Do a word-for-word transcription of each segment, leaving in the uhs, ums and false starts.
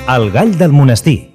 El gall del monestir.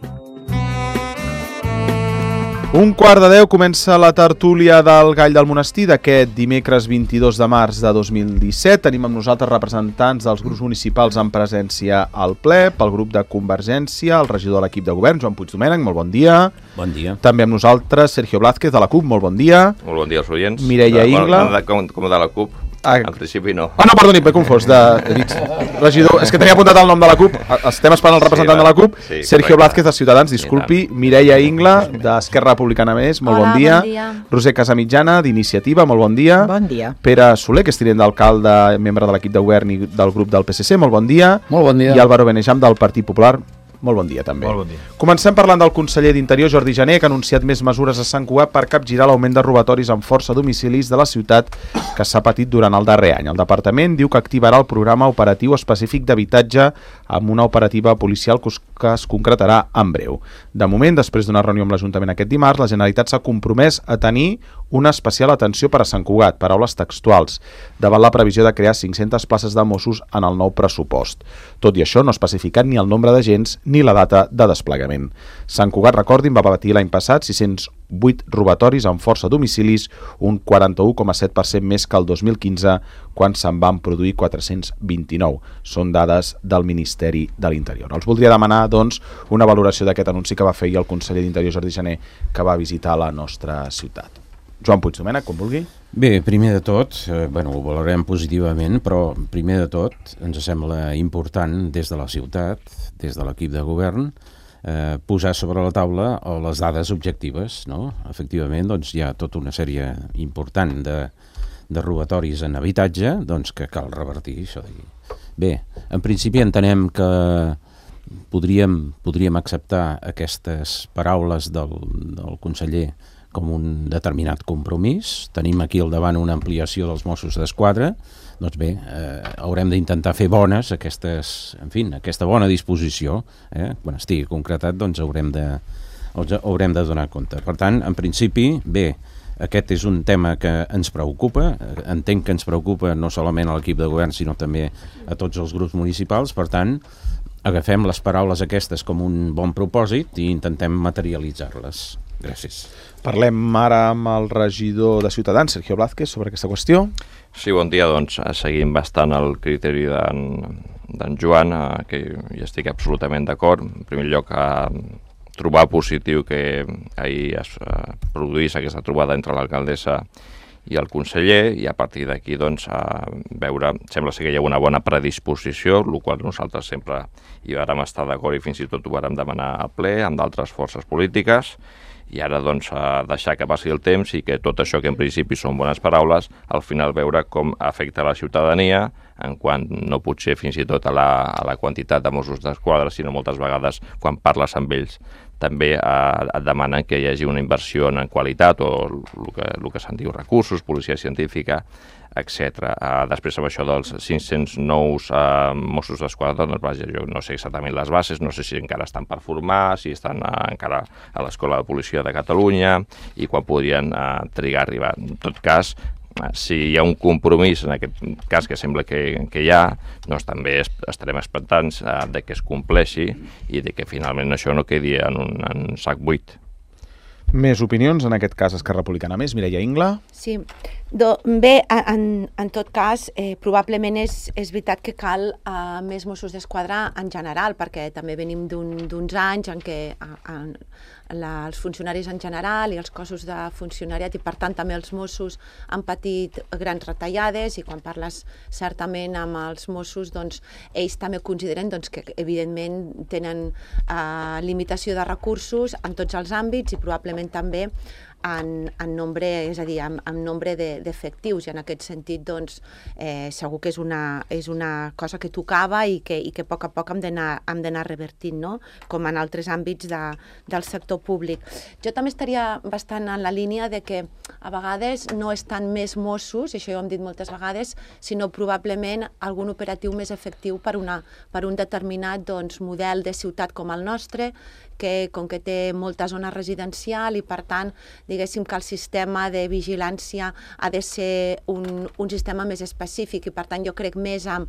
Un quart de deu comença la tertúlia del Gall del Monestir d'aquest dimecres vint-i-dos de març de dos mil disset. Tenim amb nosaltres representants dels grups municipals en presència al ple, pel grup de Convergència, el regidor de l'equip de govern, Joan Puigdomènech, molt bon dia. Bon dia. També amb nosaltres Sergio Blázquez, de la CUP, molt bon dia. Molt bon dia als oients. Mireia Ingla. Bueno, com, com de la CUP, ah. En principi no. Ah, no, perdoni, m'he confós. De, he dit, regidor, és que tenia apuntat el nom de la CUP. Estem esperant el representant sí, de la CUP. Sí, Sergio Blázquez, de Ciutadans, disculpi. Mireia Ingla, d'Esquerra Republicana Més, molt Hola, bon dia. bon dia. Roser Casamitjana, d'Iniciativa, molt bon dia. Bon dia. Pere Soler, que és tinent d'alcalde, membre de l'equip de govern i del grup del P S C, molt bon dia. Molt bon dia. I Álvaro Benejam, del Partit Popular, molt bon dia també. Molt bon dia. Comencem parlant del conseller d'Interior, Jordi Jané, que ha anunciat més mesures a Sant Cugat per capgirar l'augment de robatoris amb força a domicilis de la ciutat que s'ha patit durant el darrer any. El departament diu que activarà el programa operatiu específic d'habitatge amb una operativa policial que es concretarà en breu. De moment, després d'una reunió amb l'Ajuntament aquest dimarts, la Generalitat s'ha compromès a tenir una especial atenció per a Sant Cugat, paraules textuals, davant la previsió de crear cinc-centes places de Mossos en el nou pressupost. Tot i això, no ha especificat ni el nombre d'agents ni la data de desplegament. Sant Cugat, recordin, va patir l'any passat sis-cents vuit robatoris amb força a domicilis, un quaranta-u coma set per cent més que el dos mil quinze, quan se'n van produir quatre-cents vint-i-nou. Són dades del Ministeri de l'Interior. Els voldria demanar, doncs, una valoració d'aquest anunci que va fer el conseller d'Interior, Jordi Jané, que va visitar la nostra ciutat. Joan Puigdomènech, com vulgui. Bé, primer de tot, eh, bueno, ho valorem positivament, però primer de tot ens sembla important des de la ciutat, des de l'equip de govern, eh, posar sobre la taula les dades objectives, no? Efectivament, doncs hi ha tota una sèrie important de, de robatoris en habitatge, doncs que cal revertir això d'aquí. Bé, en principi entenem que podríem, podríem acceptar aquestes paraules del, del conseller com un determinat compromís. Tenim aquí al davant una ampliació dels Mossos d'Esquadra. Doncs bé, eh, haurem d'intentar fer bones aquestes, en fi, aquesta bona disposició. Eh? Quan estigui concretat, doncs haurem de, haurem de donar compte. Per tant, en principi, bé, aquest és un tema que ens preocupa. Entenc que ens preocupa no solament a l'equip de govern, sinó també a tots els grups municipals. Per tant, agafem les paraules aquestes com un bon propòsit i intentem materialitzar-les. Gràcies. Parlem ara amb el regidor de Ciutadans, Sergio Blázquez, sobre aquesta qüestió. Sí, bon dia. Doncs seguim bastant el criteri d'en Joan, eh, que hi estic absolutament d'acord. En primer lloc, eh, trobar positiu que ahir es eh, produís aquesta trobada entre l'alcaldessa i el conseller, i a partir d'aquí doncs, eh, veure, sembla ser que hi ha una bona predisposició, el qual nosaltres sempre hi vàrem estar d'acord i fins i tot ho vàrem demanar al ple amb d'altres forces polítiques. I ara doncs deixar que passi el temps i que tot això que en principi són bones paraules, al final veure com afecta la ciutadania, en quant no potser fins i tot a la, a la quantitat de Mossos d'Esquadra, sinó moltes vegades quan parles amb ells també eh, et demanen que hi hagi una inversió en qualitat o el que, el que se'n diu recursos, policia científica, etcètera. Uh, després amb això dels cinc-cents nous uh, Mossos d'Esquadra, doncs, vaja, jo no sé exactament les bases, no sé si encara estan per formar, si estan uh, encara a l'Escola de Policia de Catalunya i quan podrien uh, trigar a arribar. En tot cas, uh, si hi ha un compromís, en aquest cas que sembla que, que hi ha, doncs també estarem expectants uh, de que es compleixi i de que finalment això no quedi en un en sac buit. Més opinions, en aquest cas Esquerra Republicana Més, Mireia Ingla. Sí, Do, bé, en, en tot cas, eh, probablement és, és veritat que cal eh, més Mossos d'Esquadra en general, perquè també venim d'uns un, anys en què a, a, la, els funcionaris en general i els cossos de funcionariat i per tant també els Mossos han patit grans retallades, i quan parles certament amb els Mossos, doncs ells també consideren doncs, que evidentment tenen eh, limitació de recursos en tots els àmbits i probablement també En, en nombre, és a dir, en, en nombre d'efectius, i en aquest sentit doncs, eh, segur que és una, és una cosa que tocava i que, i que a poc a poc hem d'anar revertint, no? Com en altres àmbits de, del sector públic. Jo també estaria bastant en la línia de que a vegades no és tant més Mossos, això ja ho hem dit moltes vegades, sinó probablement algun operatiu més efectiu per, una, per un determinat doncs, model de ciutat com el nostre, que, com que té molta zona residencial i, per tant, diguéssim que el sistema de vigilància ha de ser un, un sistema més específic i, per tant, jo crec més amb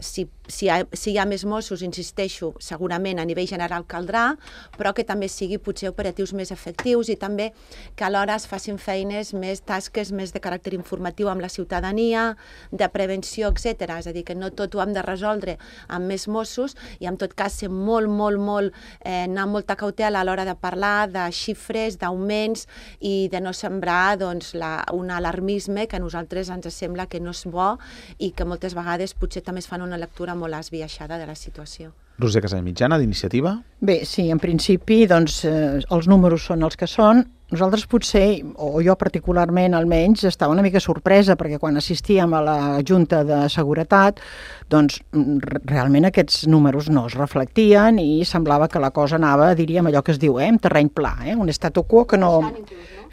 si, si, hi ha, si hi ha més Mossos, insisteixo, segurament a nivell general caldrà, però que també sigui potser operatius més efectius i també que alhora es facin feines més, tasques més de caràcter informatiu amb la ciutadania, de prevenció, etcètera. És a dir, que no tot ho hem de resoldre amb més Mossos i en tot cas ser molt, molt, molt, eh, anar amb molta cautela a l'hora de parlar de xifres, d'augments i de no sembrar doncs, la, un alarmisme que a nosaltres ens sembla que no és bo i que moltes vegades potser també es fan una lectura molt esbiaixada de la situació. Roser Casamitjana, d'Iniciativa. Bé, sí, en principi doncs, eh, els números són els que són. Nosaltres potser, o jo particularment almenys, estava una mica sorpresa perquè quan assistíem a la Junta de Seguretat doncs realment aquests números no es reflectien i semblava que la cosa anava, diríem, allò que es diu, eh, en terreny pla, eh, un statu quo que no...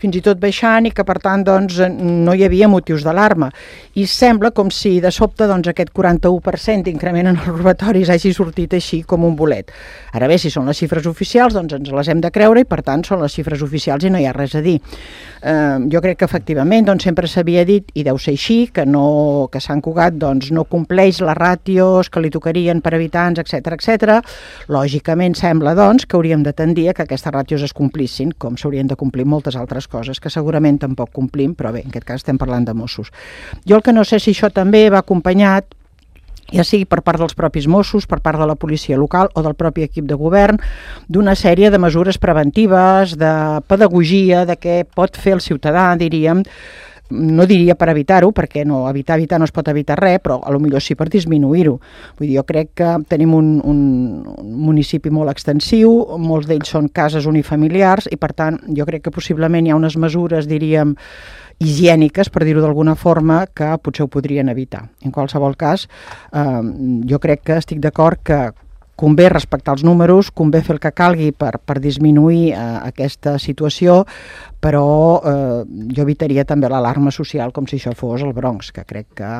fins i tot baixant i que per tant doncs, no hi havia motius d'alarma. I sembla com si de sobte doncs, aquest quaranta-u per cent d'increment en els robatoris hagi sortit així com un bolet. Ara bé, si són les xifres oficials, doncs ens les hem de creure i per tant són les xifres oficials i no hi ha res a dir. Eh, jo crec que efectivament doncs, sempre s'havia dit, i deu ser així, que, no, que Sant Cugat doncs, no compleix les ràtios que li tocarien per habitants, etcètera, etcètera. Lògicament sembla doncs, que hauríem de tendir a que aquestes ràtios es complissin, com s'haurien de complir moltes altres coses que segurament tampoc complim, però bé, en aquest cas estem parlant de Mossos. Jo el que no sé si això també va acompanyat, ja sigui per part dels propis Mossos, per part de la policia local o del propi equip de govern, d'una sèrie de mesures preventives, de pedagogia, de què pot fer el ciutadà, diríem, no diria per evitar-ho, perquè no, evitar, evitar no es pot evitar res, però a lo millor sí per disminuir-ho. Vull dir, jo crec que tenim un, un, un municipi molt extensiu, molts d'ells són cases unifamiliars i per tant jo crec que possiblement hi ha unes mesures, diríem, higièniques, per dir-ho d'alguna forma, que potser ho podrien evitar. En qualsevol cas, eh, jo crec que estic d'acord que convé respectar els números, convé fer el que calgui per, per disminuir eh, aquesta situació, però eh, jo evitaria també l'alarma social com si això fos el Bronx, que crec que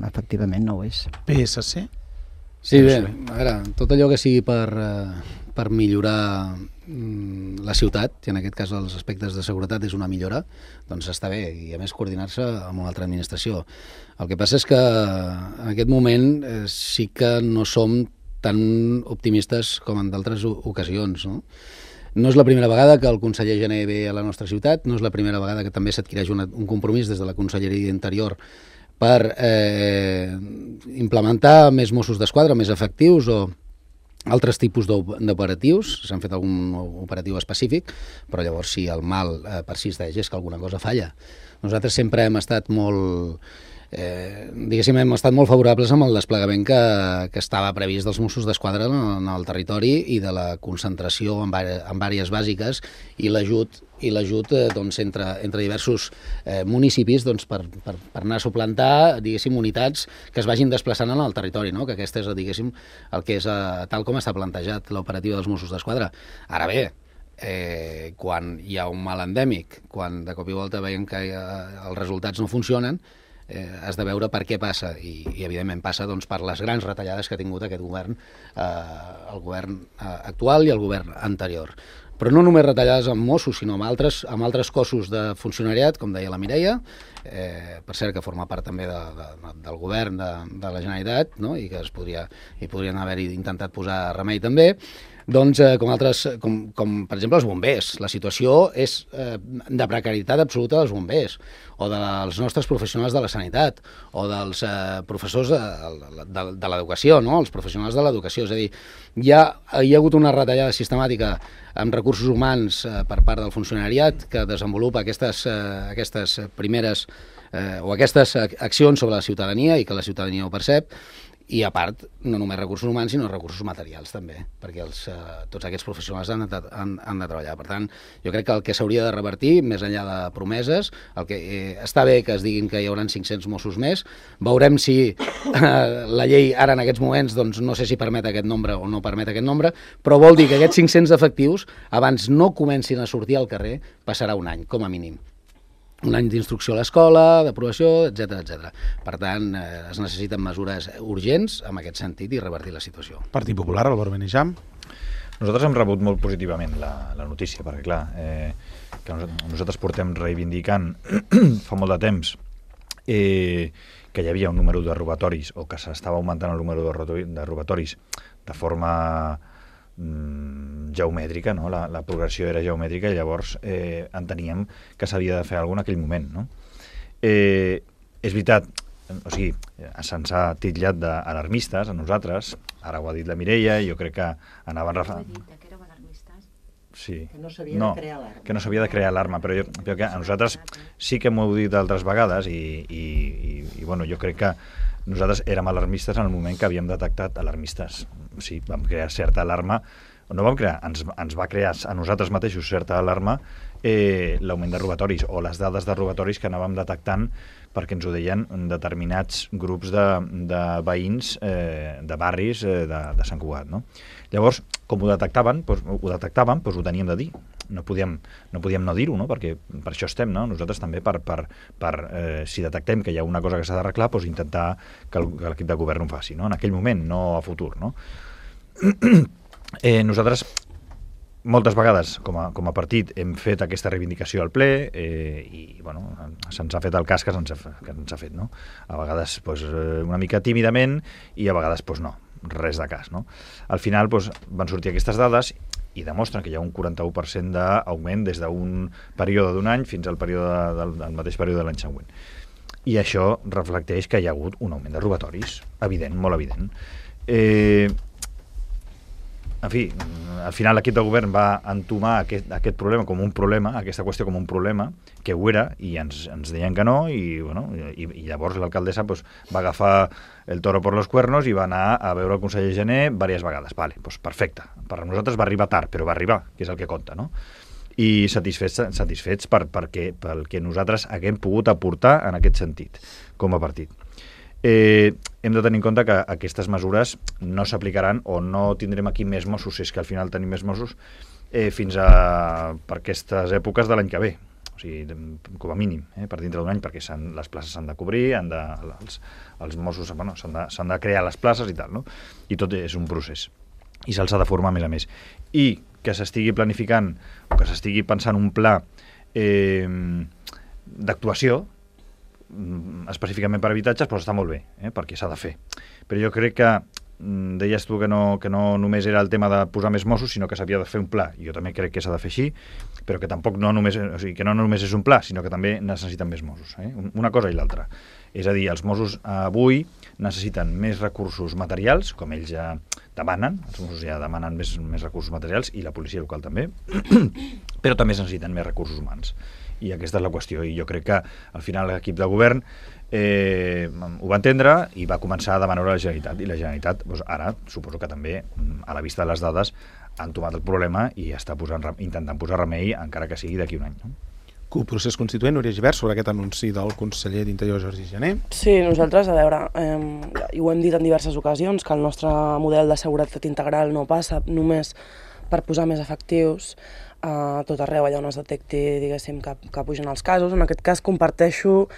efectivament no ho és. P S C? Sí, bé, a veure, tot allò que sigui per, eh, per millorar mm, la ciutat, i en aquest cas els aspectes de seguretat és una millora, doncs està bé, i a més coordinar-se amb una altra administració. El que passa és que en aquest moment eh, sí que no som tan optimistes com en d'altres ocasions, no? No és la primera vegada que el conseller Jané ve a la nostra ciutat, no és la primera vegada que també s'adquireix un compromís des de la Conselleria d'Interior per eh, implementar més Mossos d'Esquadra, més efectius o altres tipus d'operatius. S'han fet algun operatiu específic, però llavors si el mal eh, persisteix és que alguna cosa falla. Nosaltres sempre hem estat molt... Eh, diguéssim, hem estat molt favorables amb el desplegament que, que estava previst dels Mossos d'Esquadra en, en el territori i de la concentració en, en àrees bàsiques i l'ajut i l'ajut eh, doncs, entre, entre diversos eh, municipis doncs, per, per, per anar a suplantar, diguéssim, unitats que es vagin desplaçant en el territori, no? Que aquest és, diguéssim, el que és eh, tal com està plantejat l'operativa dels Mossos d'Esquadra. Ara bé, eh, quan hi ha un mal endèmic, quan de cop i volta veiem que eh, els resultats no funcionen, Eh, has de veure per què passa i, i evidentment passa doncs, per les grans retallades que ha tingut aquest govern, eh, el govern eh, actual i el govern anterior. Però no només retallades amb Mossos, sinó amb altres, amb altres cossos de funcionariat, com deia la Mireia, eh, per cert que forma part també de, de, del govern de, de la Generalitat, no? I que es podria, hi podrien haver intentat posar remei també. Doncs, eh, com, altres, com, com per exemple els bombers. La situació és eh, de precarietat absoluta dels bombers, o dels nostres professionals de la sanitat, o dels eh, professors de, de, de l'educació, no? Els professionals de l'educació. És a dir, hi ha, hi ha hagut una retallada sistemàtica amb recursos humans eh, per part del funcionariat que desenvolupa aquestes, eh, aquestes primeres eh, o aquestes accions sobre la ciutadania i que la ciutadania ho percep. I a part, no només recursos humans, sinó recursos materials també, perquè els, eh, tots aquests professionals han de, han, han de treballar. Per tant, jo crec que el que s'hauria de revertir, més enllà de promeses, el que eh, està bé que es diguin que hi haurà cinc-cents Mossos més, veurem si eh, la llei ara en aquests moments, doncs no sé si permet aquest nombre o no permet aquest nombre, però vol dir que aquests cinc-cents efectius, abans no comencin a sortir al carrer, passarà un any, com a mínim. Un any d'instrucció a l'escola, d'aprovació, etcètera, etcètera. Per tant, eh, es necessiten mesures urgents en aquest sentit i revertir la situació. Partit Popular, Álvaro Benejam. Nosaltres hem rebut molt positivament la, la notícia, perquè clar, eh, que nosaltres portem reivindicant fa molt de temps eh, que hi havia un número de robatoris o que s'estava augmentant el número de robatoris de forma mm, geomètrica, no? la, la progressió era geomètrica i llavors eh, enteníem que s'havia de fer alguna en aquell moment. No? Eh, és veritat, o sigui, se'ns ha titllat d'alarmistes a nosaltres, ara ho ha dit la Mireia, jo crec que anaven... Refa... Sí. Que no s'havia no, de crear alarma. Que no s'havia de crear alarma, però jo crec que a nosaltres sí que m'ho heu dit d'altres vegades i, i, i, i bueno, jo crec que nosaltres érem alarmistes en el moment que havíem detectat alarmistes. O sigui, vam crear certa alarma, no vam crear, ens, ens va crear a nosaltres mateixos certa alarma eh, l'augment de robatoris o les dades de robatoris que anàvem detectant perquè ens ho deien determinats grups de, de veïns eh, de barris eh, de, de Sant Cugat. No? Llavors, com ho detectaven, doncs, ho detectaven, doncs ho teníem de dir. No podíem no, podíem no dir-ho, no? Perquè per això estem, no? Nosaltres també, per, per, per eh, si detectem que hi ha una cosa que s'ha d'arreglar, doncs intentar que l'equip de govern ho faci, no? En aquell moment, no a futur. No? eh, nosaltres moltes vegades, com a, com a partit, hem fet aquesta reivindicació al ple eh, i bueno, se'ns ha fet el cas que se'ns ha, que ens ha fet. No? A vegades pues, una mica tímidament i a vegades pues, no, res de cas. No? Al final pues, van sortir aquestes dades i demostren que hi ha un quaranta-u per cent d'augment des d'un període d'un any fins al període del, del mateix període de l'any següent. I això reflecteix que hi ha hagut un augment de robatoris, evident, molt evident. Eh, En fi, al final l'equip de govern va entomar aquest, aquest problema com un problema, aquesta qüestió com un problema, que ho era, i ens, ens deien que no, i, bueno, i, i llavors l'alcaldessa pues, va agafar el toro por los cuernos i va anar a veure el conseller Gené diverses vegades. Vale, pues perfecte. Per a nosaltres va arribar tard, però va arribar, que és el que compta, no? I satisfets, satisfets per, perquè, pel que nosaltres haguem pogut aportar en aquest sentit, com a partit. Eh, hem de tenir en compte que aquestes mesures no s'aplicaran o no tindrem aquí més Mossos, si és que al final tenim més Mossos, eh, fins a per aquestes èpoques de l'any que ve. O sigui, com a mínim, eh, per dintre d'un any, perquè les places s'han de cobrir, han de, els, els Mossos bueno, s'han de, s'han de crear les places i tal, no? I tot és un procés. I se'ls ha de formar a més a més. I que s'estigui planificant o que s'estigui pensant un pla eh, d'actuació específicament per habitatges, però està molt bé, eh, perquè s'ha de fer. Però jo crec que, deies tu que no, que no només era el tema de posar més Mossos, sinó que s'havia de fer un pla. Jo també crec que s'ha de fer així, però que tampoc no només, o sigui, que no només és un pla, sinó que també necessiten més Mossos. Eh? Una cosa i l'altra. És a dir, els Mossos avui necessiten més recursos materials, com ells ja demanen, els Mossos ja demanen més, més recursos materials, i la policia local també, però també necessiten més recursos humans. I aquesta és la qüestió, i jo crec que al final l'equip de govern eh, ho va entendre i va començar a demanar a la Generalitat, i la Generalitat doncs, ara suposo que també a la vista de les dades ha entomat el problema i està posant, intentant posar remei encara que sigui d'aquí un any. No? C U P, procés constituent, Núria Gibert, sobre aquest anunci del conseller d'Interior Jordi Gené. Sí, nosaltres, a veure, eh, ho hem dit en diverses ocasions, que el nostre model de seguretat integral no passa només per posar més efectius a tot arreu allà on es detecti, diguéssim, que, que pugen els casos. En aquest cas comparteixo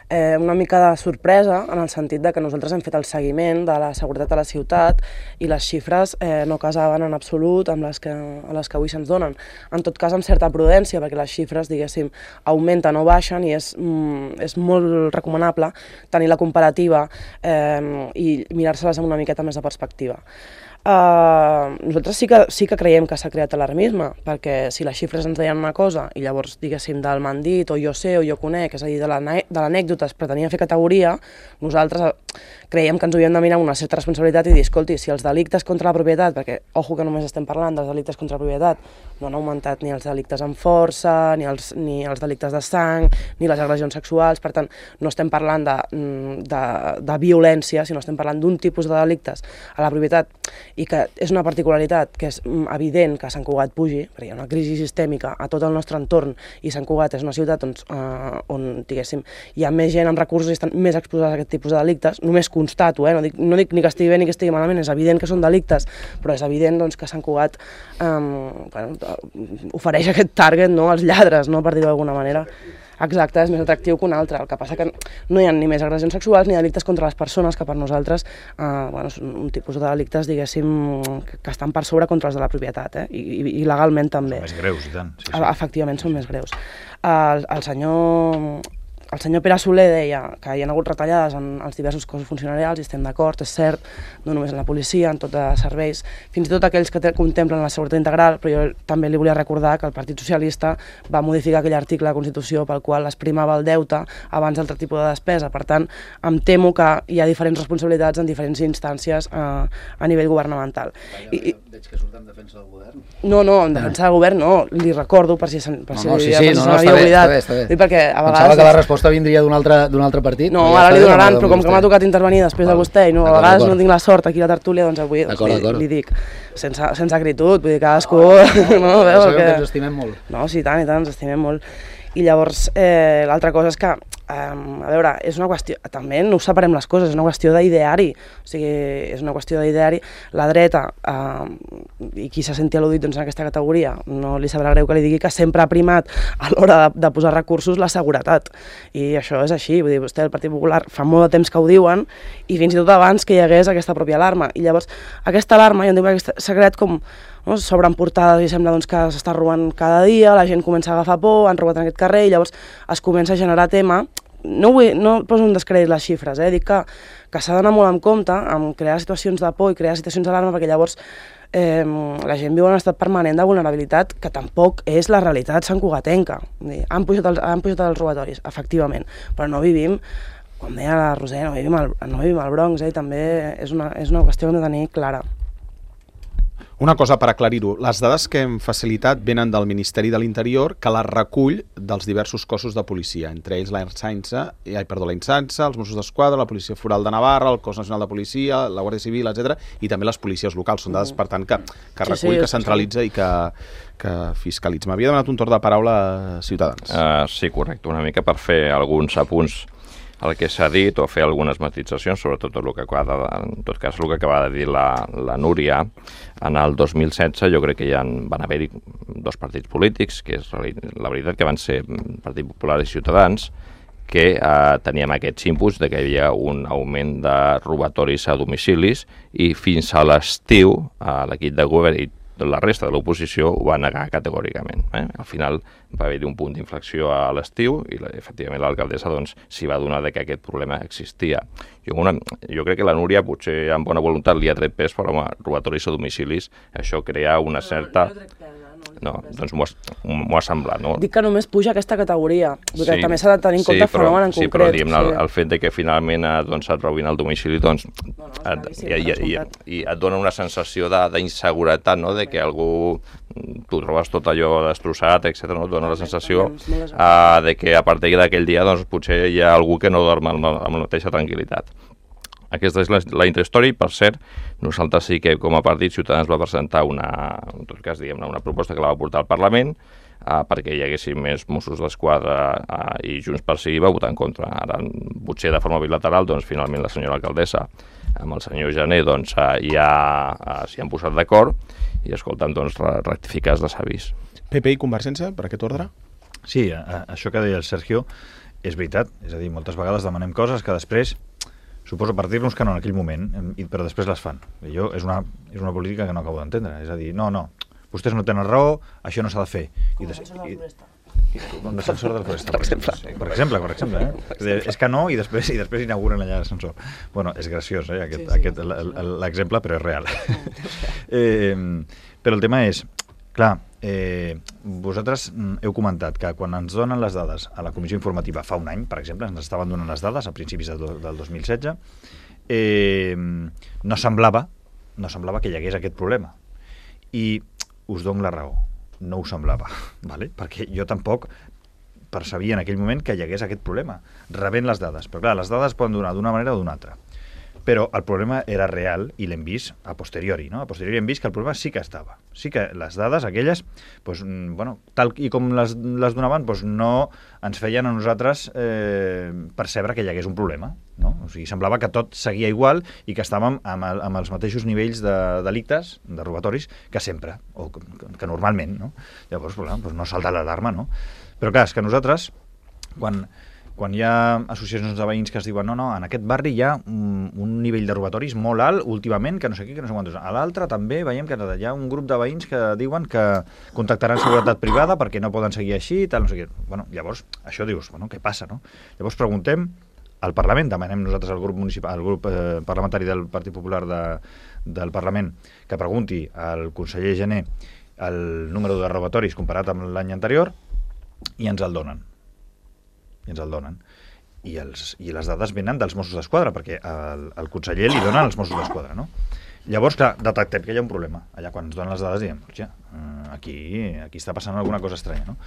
eh, una mica de sorpresa en el sentit de que nosaltres hem fet el seguiment de la seguretat a la ciutat i les xifres eh, no casaven en absolut amb les que, a les que avui se'ns donen. En tot cas, amb certa prudència, perquè les xifres, diguéssim, augmenten o baixen i és, mm, és molt recomanable tenir la comparativa eh, i mirar-se-les amb una miqueta més de perspectiva. Uh, nosaltres sí que, sí que creiem que s'ha creat alarmisme, perquè si les xifres ens deien una cosa i llavors, diguéssim, del m'han dit, o jo sé, o jo conec, és a dir, de l'anècdota es pretenia fer categoria, nosaltres creiem que ens havíem de mirar una certa responsabilitat i dir, escolti, si els delictes contra la propietat, perquè, ojo que només estem parlant dels delictes contra la propietat, no han augmentat ni els delictes amb força, ni els, ni els delictes de sang, ni les agressions sexuals, per tant, no estem parlant de, de, de violència, sinó estem parlant d'un tipus de delictes a la propietat i que és una particularitat que és evident que Sant Cugat pugi, perquè hi ha una crisi sistèmica a tot el nostre entorn i Sant Cugat és una ciutat on, eh, on diguéssim, hi ha més gent amb recursos i estan més exposats a aquest tipus de delictes. Només constato, eh? no, dic, no dic ni que estigui bé ni que estigui malament, és evident que són delictes, però és evident doncs, que Sant Cugat eh, bueno, ofereix aquest target, no?, als lladres, no?, per dir-ho d'alguna manera. Exacte, és més atractiu que un altre. El que passa que no hi ha ni més agressions sexuals ni delictes contra les persones, que per nosaltres eh, bueno, són un tipus de delictes, diguéssim, que estan per sobre contra els de la propietat, eh? I, i, i legalment també. Són més greus, i tant. Sí, sí. Efectivament, són més greus. El, el senyor... El senyor Pere Soler deia que hi ha hagut retallades en els diversos cossos funcionarials i estem d'acord, és cert, no només en la policia, en tots els serveis, fins i tot aquells que contemplen la seguretat integral, però jo també li volia recordar que el Partit Socialista va modificar aquell article de la Constitució pel qual es primava el deute abans d'altre tipus de despesa. Per tant, em temo que hi ha diferents responsabilitats en diferents instàncies a, a nivell governamental. I, veig que surt en defensa del govern. No, no, en defensa del govern no, li recordo per si per si no, no, sí, sí, no, no, està bé, està bé, està bé. Perquè a vegades... Pensava que la resposta vindria d'un altre, d'un altre partit. No, ara li donaran, però com que m'ha tocat intervenir després de vostè i no, a vegades no tinc la sort aquí a la tertúlia, doncs avui li, li dic, sense, sense acritud, vull dir, cadascú... No, veu, que ens estimem molt. No, sí, tant i tant, ens estimem molt. I llavors, eh, l'altra cosa és que, eh, a veure, és una qüestió, també no us separem les coses, és una qüestió d'ideari, o sigui, és una qüestió d'ideari. La dreta, eh, i qui se senti al·ludit doncs, en aquesta categoria, no li sabrà greu que li digui que sempre ha primat a l'hora de, de posar recursos la seguretat. I això és així, vull dir, vostè, el Partit Popular, fa molt de temps que ho diuen, i fins i tot abans que hi hagués aquesta pròpia alarma. I llavors, aquesta alarma, jo entenc que s'ha creat com... No? S'obren portades i sembla doncs, que s'està robant cada dia, la gent comença a agafar por, han robat en aquest carrer i llavors es comença a generar tema. No, vull, no poso un descrèdit les xifres, eh? Dic que, que s'ha d'anar molt en compte amb crear situacions de por i crear situacions d'alarma perquè llavors eh, la gent viu en un estat permanent de vulnerabilitat que tampoc és la realitat santcugatenca. Han pujat els, han pujat els robatoris, efectivament, però no vivim, com deia la Roser, no vivim al, no vivim al Bronx, eh? També és una, és una qüestió que hem de tenir clara. Una cosa per aclarir-ho, les dades que hem facilitat venen del Ministeri de l'Interior, que les recull dels diversos cossos de policia, entre ells la Insansa, ai, perdó, la Insansa, els Mossos d'Esquadra, la Policia Foral de Navarra, el Cos Nacional de Policia, la Guàrdia Civil, etcètera, i també les policies locals. Són dades, per tant, que, que recull, sí, sí, que centralitza i que, que fiscalitza. M'havia demanat un torn de paraula a Ciutadans. Uh, sí, correcte, una mica per fer alguns apunts el que s'ha dit o fer algunes matitzacions, sobretot el que acaba de, en tot cas el que acaba de dir la, la Núria. En el dos mil setze jo crec que ja van haver-hi dos partits polítics, que és la veritat que van ser Partit Popular i Ciutadans, que eh, teníem aquests inputs de que hi havia un augment de robatoris a domicilis i fins a l'estiu eh, l'equip de govern i la resta de l'oposició ho va negar categòricament. Eh? Al final va haver-hi un punt d'inflexió a l'estiu i la, efectivament l'alcaldessa doncs, s'hi va donar de que aquest problema existia. Jo, una, jo crec que la Núria potser amb bona voluntat li ha tret pes, però home, robatoris a domicilis, això crea una certa... No, doncs m'ho ha, ha semblat, no? Dic que només puja aquesta categoria, perquè sí, també s'ha de tenir en compte sí, però, fenomen en sí, concret. Però, sí, però el, el fet de que finalment doncs, et robin al domicili, doncs, no, no, et, i, i, i, i et dona una sensació d'inseguretat, no?, de que algú, tu trobes tot allò destrossat, etcètera, no? Et dona la sensació uh, de que a partir d'aquell dia doncs, potser hi ha algú que no dorm amb, amb la mateixa tranquil·litat. Aquesta és la, la intrahistòria i, per cert, nosaltres sí que com a partit Ciutadans va presentar una, en tot cas, diguem-ne, una proposta que la va portar al Parlament eh, perquè hi haguessin més Mossos d'Esquadra eh, i Junts per Sí va votar en contra. Ara, potser de forma bilateral, doncs finalment la senyora alcaldessa amb el senyor Jané doncs, eh, ja eh, s'hi han posat d'acord i, escolta'm, doncs, rectificar de s'avís. P P i Convergència, per aquest ordre? Sí, a, això que deia el Sergio és veritat, és a dir, moltes vegades demanem coses que després suposo per dir-nos que no en aquell moment, però després les fan. Jo, és una, és una política que no acabo d'entendre. És a dir, no, no, vostès no tenen raó, això no s'ha de fer. Com a defensor del Foresta. Com a defensor del Foresta, per exemple. Per exemple, per exemple. Eh? És que no, i després, i després inauguren allà l'ascensor. Bueno, és graciós, eh, aquest, sí, sí. aquest l'exemple, però és real. eh, però el tema és, clar, eh, vosaltres heu comentat que quan ens donen les dades a la comissió informativa fa un any, per exemple, ens estaven donant les dades a principis de do, del dos mil setze, eh, no semblava no semblava que hi hagués aquest problema. I us dono la raó, no ho semblava, ¿vale? Perquè jo tampoc percebia en aquell moment que hi hagués aquest problema, rebent les dades. Però clar, les dades poden donar d'una manera o d'una altra. Però el problema era real i l'hem vist a posteriori, no? A posteriori hem vist que el problema sí que estava. Sí que les dades, aquelles, doncs, bueno, tal i com les, les donaven, doncs no ens feien a nosaltres eh, percebre que hi hagués un problema, no? O sigui, semblava que tot seguia igual i que estàvem amb, el, amb els mateixos nivells de delictes, de robatoris, que sempre, o que, que normalment, no? Llavors, doncs, no salta l'alarma, no? Però clar, és que nosaltres quan, quan hi ha associacions de veïns que es diuen no, no, en aquest barri hi ha un, un nivell de robatoris molt alt últimament, que no sé què, que no sé quantos. A l'altre també veiem que hi ha un grup de veïns que diuen que contactaran seguretat privada perquè no poden seguir així, tal, no sé què. Bueno, llavors, això dius, bueno, què passa, no? Llavors preguntem al Parlament, demanem nosaltres al grup municipal, al grup eh, parlamentari del Partit Popular de, del Parlament, que pregunti al conseller Gené el número de robatoris comparat amb l'any anterior, i ens el donen. I ens el donen. I, els, i les dades venen dels Mossos d'Esquadra, perquè el, el conseller li donen els Mossos d'Esquadra, no? Llavors, clar, detectem que hi ha un problema. Allà quan ens donen les dades diem, hòstia, aquí, aquí està passant alguna cosa estranya, no?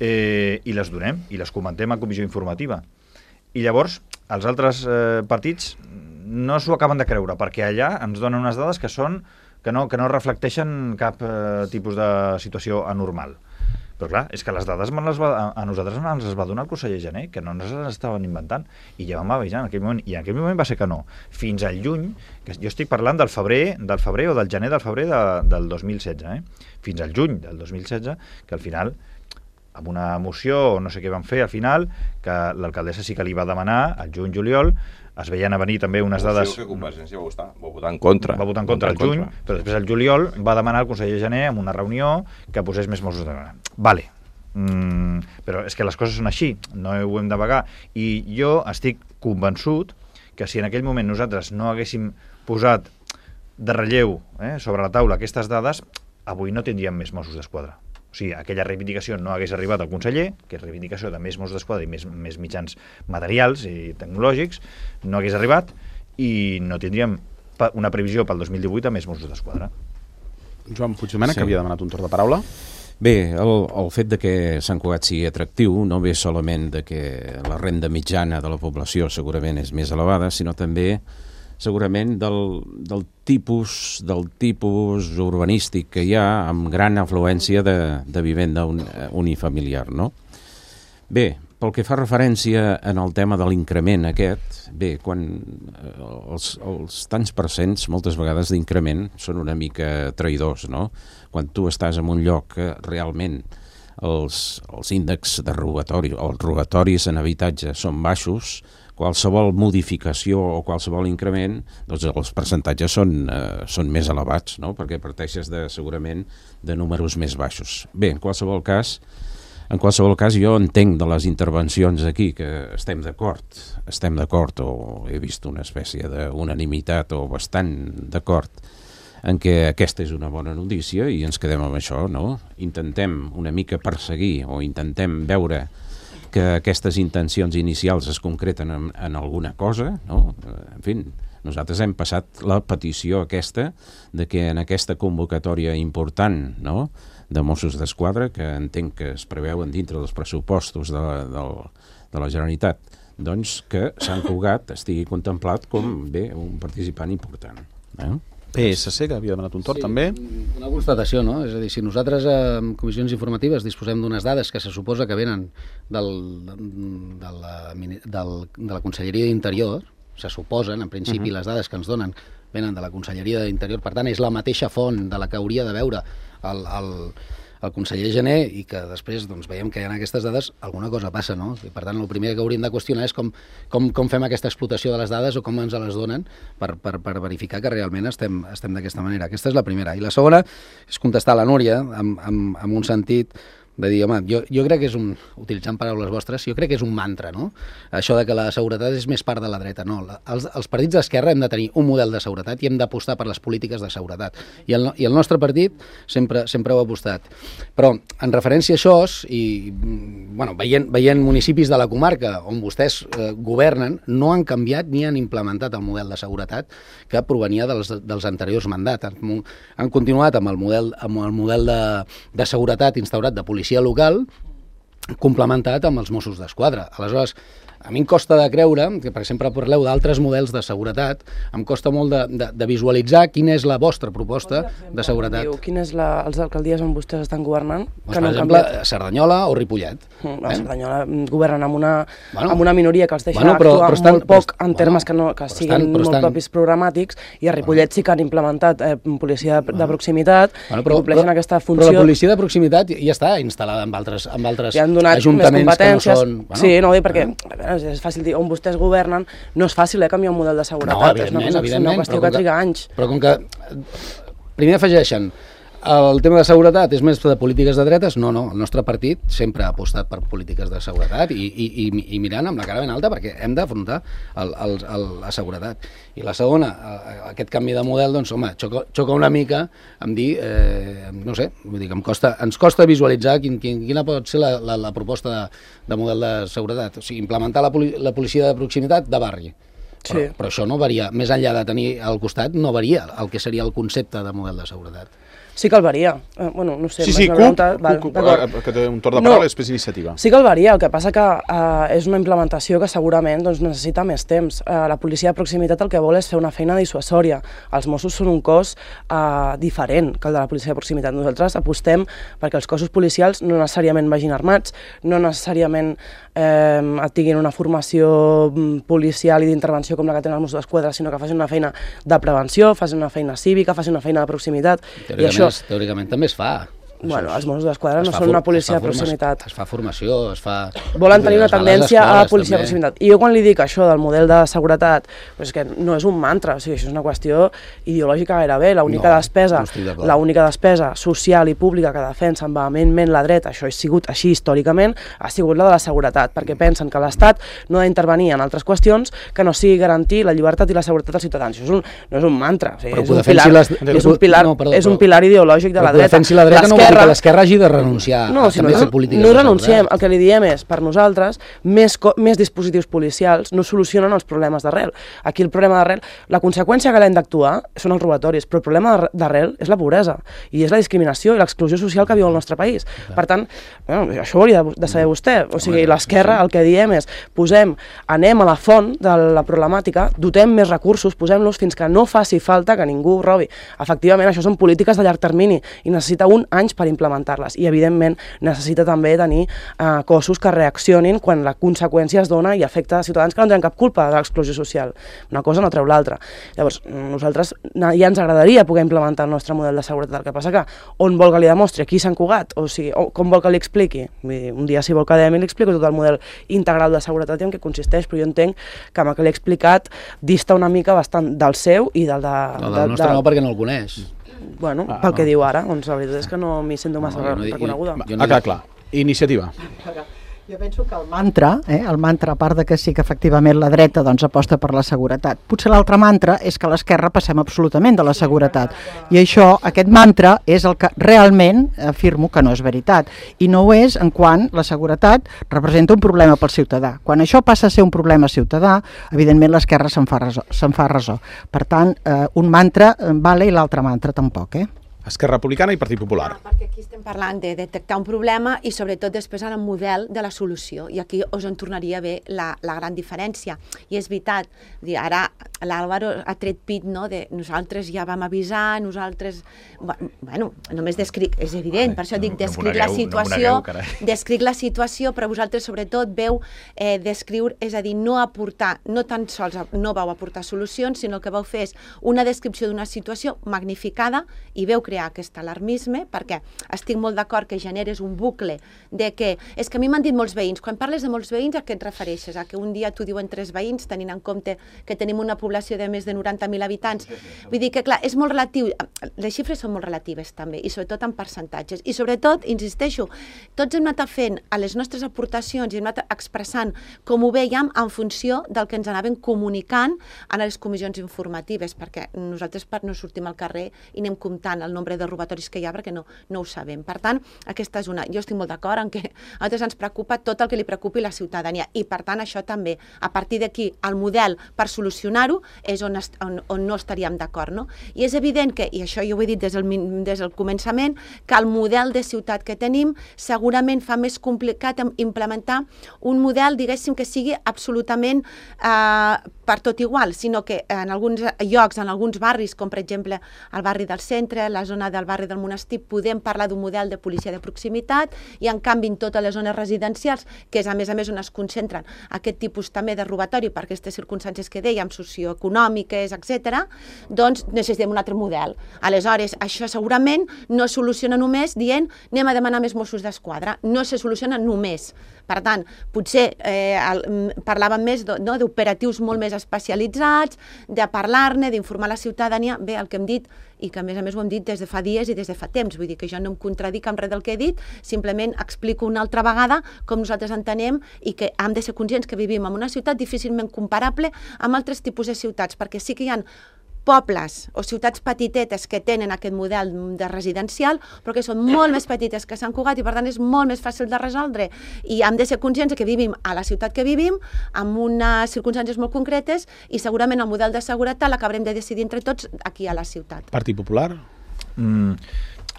Eh, I les donem, i les comentem a comissió informativa. I llavors, els altres eh, partits no s'ho acaben de creure, perquè allà ens donen unes dades que són que no, que no reflecteixen cap eh, tipus de situació anormal. Però clar, és que les dades les va, a nosaltres ens les va donar el conseller Gené, que no ens les estaven inventant, i ja vam avisar en aquell moment, i en aquell moment va ser que no. Fins al juny, que jo estic parlant del febrer, del febrer o del gener del febrer de, del dos mil setze, eh? Fins al juny del dos mil setze, que al final, amb una moció, o no sé què van fer al final, que l'alcaldessa sí que li va demanar, al juny-juliol, es veien a venir també unes dades... Que Convergència va votar, va votar en contra. Va votar en contra al juny, però després al juliol va demanar al conseller Gené en una reunió que posés més Mossos d'Esquadra. Vale, mm, però és que les coses són així, no ho hem de vagar. I jo estic convençut que si en aquell moment nosaltres no haguéssim posat de relleu eh, sobre la taula aquestes dades, avui no tindríem més Mossos d'Esquadra. O sigui, aquella reivindicació no hagués arribat al conseller, que és reivindicació de més Mossos d'Esquadra i més, més mitjans materials i tecnològics, no hagués arribat i no tindríem una previsió pel dos mil divuit a més Mossos d'Esquadra. Joan Puigdomènech, Sí. que havia demanat un torn de paraula. Bé, el, el fet de que Sant Cugat sigui atractiu no ve solament de que la renda mitjana de la població segurament és més elevada, sinó també segurament del, del tipus del tipus urbanístic que hi ha amb gran afluència de, de vivenda un, unifamiliar, no? Bé, pel que fa referència en el tema de l'increment aquest, bé, quan els, els tants percents moltes vegades d'increment són una mica traïdors, no? Quan tu estàs en un lloc que realment els, els índexs de robatori, els robatoris en habitatge són baixos, qualsevol modificació o qualsevol increment, doncs els percentatges són, eh, són més elevats, no? Perquè parteixes de, segurament de números més baixos. Bé, en qualsevol cas, en qualsevol cas jo entenc de les intervencions aquí que estem d'acord, estem d'acord o he vist una espècie d'unanimitat o bastant d'acord en què aquesta és una bona notícia i ens quedem amb això, no? Intentem una mica perseguir o intentem veure que aquestes intencions inicials es concreten en, en alguna cosa, no? En fi, nosaltres hem passat la petició aquesta de que en aquesta convocatòria important, no?, de Mossos d'Esquadra, que entenc que es preveuen dintre dels pressupostos de la, de, de la Generalitat, doncs que Sant Cugat estigui contemplat com, bé, un participant important. Eh? P S C, que havia demanat un torn, sí, també. Una constatació, no? És a dir, si nosaltres en comissions informatives disposem d'unes dades que se suposa que venen del, de, la, del, de la Conselleria d'Interior, se suposen, en principi, uh -huh. les dades que ens donen venen de la Conselleria d'Interior, per tant, és la mateixa font de la que hauria de veure el, el, el conseller Gené i que després doncs, veiem que hi ha aquestes dades, alguna cosa passa, no? I per tant, el primer que hauríem de qüestionar és com, com, com fem aquesta explotació de les dades o com ens les donen per, per, per verificar que realment estem, estem d'aquesta manera. Aquesta és la primera. I la segona és contestar a la Núria amb, amb, amb un sentit de dir, home, jo, jo crec que és un, utilitzant paraules vostres, jo crec que és un mantra, no? Això de que la seguretat és més part de la dreta, no. La, els, els partits d'esquerra hem de tenir un model de seguretat i hem d'apostar per les polítiques de seguretat. I el, i el nostre partit sempre, sempre ho ha apostat. Però, en referència a això, i, bueno, veient, veient municipis de la comarca on vostès eh, governen, no han canviat ni han implementat el model de seguretat que provenia dels, dels anteriors mandats. Han, han continuat amb el model, amb el model de, de seguretat instaurat de policia local, complementat amb els Mossos d'Esquadra. Aleshores, a mi em costa de creure, que per exemple parleu d'altres models de seguretat, em costa molt de, de, de visualitzar quina és la vostra proposta de seguretat. Diu, quin és la, els alcaldies on vostès estan governant? Doncs, que per no exemple, canviat. Cerdanyola o Ripollet. Mm, eh? Cerdanyola governen amb una, bueno, amb una minoria que els deixa bueno, però, actuar però estan, molt poc en bueno, termes que, no, que siguin estan, molt estan, propis programàtics, i a Ripollet sí que han implementat eh, policia de, de proximitat, bueno, però, i compleixen però, aquesta funció. Però la policia de proximitat ja està instal·lada en altres, en altres ja han donat ajuntaments més competències. Que no són... Bueno, sí, no, perquè bueno. és fàcil dir, on vostès governen, no és fàcil eh, canviar un model de seguretat, no, és una, cosa, és una qüestió que triga anys. Però com que primer afegeixen el tema de seguretat és més de polítiques de dretes, no, no, el nostre partit sempre ha apostat per polítiques de seguretat i, i, i, i mirant amb la cara ben alta perquè hem d'afrontar la seguretat. I la segona, aquest canvi de model, doncs, home, xoca, xoca una mica amb dir, eh, no sé, vull dir que em costa, ens costa visualitzar quin, quin, quina pot ser la, la, la proposta de, de model de seguretat. O sigui, implementar la, poli, la policia de proximitat de barri. Però, sí. però això no varia, més enllà de tenir al costat, no varia el que seria el concepte de model de seguretat. Sí que el varia. Eh, bueno, no sé, sí, sí, Cup, val, Cup, Cup, que té un torn de paraula no, i després iniciativa. Sí que el varia, el que passa que eh, és una implementació que segurament doncs, necessita més temps. Eh, la policia de proximitat el que vol és fer una feina dissuasòria. Els Mossos són un cos eh, diferent que el de la policia de proximitat. Nosaltres apostem perquè els cossos policials no necessàriament vagin armats, no necessàriament eh, tinguin una formació policial i d'intervenció com la que tenen els Mossos d'Esquadra, sinó que facin una feina de prevenció, facin una feina cívica, facin una feina de proximitat. I això teòricament també es fa. Bueno, els Mossos d'Esquadra no són una policia de proximitat. Es fa formació, es fa... Volen tenir una tendència a la policia de proximitat. I jo quan li dic això del model de seguretat, doncs que no és un mantra, o sigui, això és una qüestió ideològica gairebé. L'única no, despesa, no l'única despesa social i pública que defensen vehementment la dreta, això ha sigut així històricament, ha sigut la de la seguretat, perquè pensen que l'Estat no ha d'intervenir en altres qüestions que no sigui garantir la llibertat i la seguretat dels ciutadans. Això és un, no és un mantra, o sigui, és, un pilar, les... és, un pilar, no, perdó, és un pilar ideològic de la dreta. La dreta no que l'esquerra hagi de renunciar no, a si també no, fer polítiques no renunciem, el que li diem és, per nosaltres, més, més dispositius policials no solucionen els problemes d'arrel. Aquí el problema d'arrel, la conseqüència que l'hem d'actuar són els robatoris, però el problema d'arrel és la pobresa, i és la discriminació i l'exclusió social que viu el nostre país. Per tant, bueno, això ho hauria de saber vostè, o sigui, l'esquerra el que diem és, posem, anem a la font de la problemàtica, dotem més recursos, posem-los fins que no faci falta que ningú robi. Efectivament, això són polítiques de llarg termini i necessita un anys per implementar-les. I, evidentment, necessita també tenir eh, cossos que reaccionin quan la conseqüència es dona i afecta a ciutadans que no tenen cap culpa de l'exclusió social. Una cosa no treu l'altra. Llavors, nosaltres ja ens agradaria poder implementar el nostre model de seguretat. El que passa que on vol que li demostri, aquí Sant Cugat, o sigui, o com vol que li expliqui. Un dia, si vol que li explico tot el model integral de seguretat i en què consisteix, però jo entenc que amb el que l'he explicat dista una mica bastant del seu i del de... El del nostre no, perquè no el coneix. Bueno, ah, pel que ah. diu ara, doncs la veritat és que no m'hi sento massa no, no, reconeguda. Jo no ah, clar, clar. Iniciativa. Jo penso que el mantra, eh, el mantra, a part de que sí que efectivament la dreta doncs, aposta per la seguretat, potser l'altre mantra és que a l'esquerra passem absolutament de la seguretat. I això, aquest mantra, és el que realment afirmo que no és veritat. I no ho és en quant la seguretat representa un problema pel ciutadà. Quan això passa a ser un problema ciutadà, evidentment l'esquerra se'n fa ressò. Se'n fa ressò. Per tant, eh, un mantra vale i l'altre mantra tampoc, eh? Esquerra Republicana i Partit Popular. Ah, perquè aquí estem parlant de detectar un problema i sobretot després el model de la solució. I aquí us en tornaria bé la, la gran diferència. I és veritat, ara l'Àlvaro ha tret pit, no?, de nosaltres ja vam avisar, nosaltres... Bueno, només descric, és evident, per això dic, descric la situació, descric la situació, però vosaltres sobretot veu eh, descriure, és a dir, no aportar, no tan sols no vau aportar solucions, sinó que vau fer una descripció d'una situació magnificada i veu crear aquest alarmisme, perquè estic molt d'acord que generes un bucle de que, és que a mi m'han dit molts veïns, quan parles de molts veïns a què et refereixes? A que un dia t'ho diuen tres veïns, tenint en compte que tenim una població de més de noranta mil habitants? Vull dir que, clar, és molt relatiu, les xifres són molt relatives també, i sobretot en percentatges, i sobretot, insisteixo, tots hem anat fent a les nostres aportacions i hem anat expressant com ho veiem en funció del que ens anaven comunicant a les comissions informatives, perquè nosaltres no sortim al carrer i anem comptant el nombre nombre de robatoris que hi ha, perquè no, no ho sabem. Per tant, aquesta és una... Jo estic molt d'acord en que a nosaltres ens preocupa tot el que li preocupi la ciutadania i, per tant, això també, a partir d'aquí, el model per solucionar-ho és on, est, on, on no estaríem d'acord, no? I és evident que, i això jo ho he dit des del, des del començament, que el model de ciutat que tenim segurament fa més complicat implementar un model, diguéssim, que sigui absolutament eh, per tot igual, sinó que en alguns llocs, en alguns barris, com per exemple el barri del centre, la zona del barri del Monestir, podem parlar d'un model de policia de proximitat i en canvi en totes les zones residencials, que és a més a més on es concentren aquest tipus també de robatori per aquestes circumstàncies que dèiem, socioeconòmiques, etcètera, doncs necessitem un altre model. Aleshores, això segurament no es soluciona només dient anem a demanar més Mossos d'Esquadra, no se soluciona només. Per tant, potser eh, el, parlàvem més no, d'operatius molt més especialitzats, de parlar-ne, d'informar la ciutadania. Bé, el que hem dit, i que a més a més ho hem dit des de fa dies i des de fa temps, vull dir que jo no em contradic amb res del que he dit, simplement explico una altra vegada com nosaltres entenem i que hem de ser conscients que vivim en una ciutat difícilment comparable amb altres tipus de ciutats, perquè sí que hi ha pobles o ciutats petitetes que tenen aquest model de residencial, però que són molt més petites que Sant Cugat i per tant és molt més fàcil de resoldre. I hem de ser conscients que vivim a la ciutat que vivim, amb unes circumstàncies molt concretes i segurament el model de seguretat l'acabarem de decidir entre tots aquí a la ciutat. Partit Popular? Mm,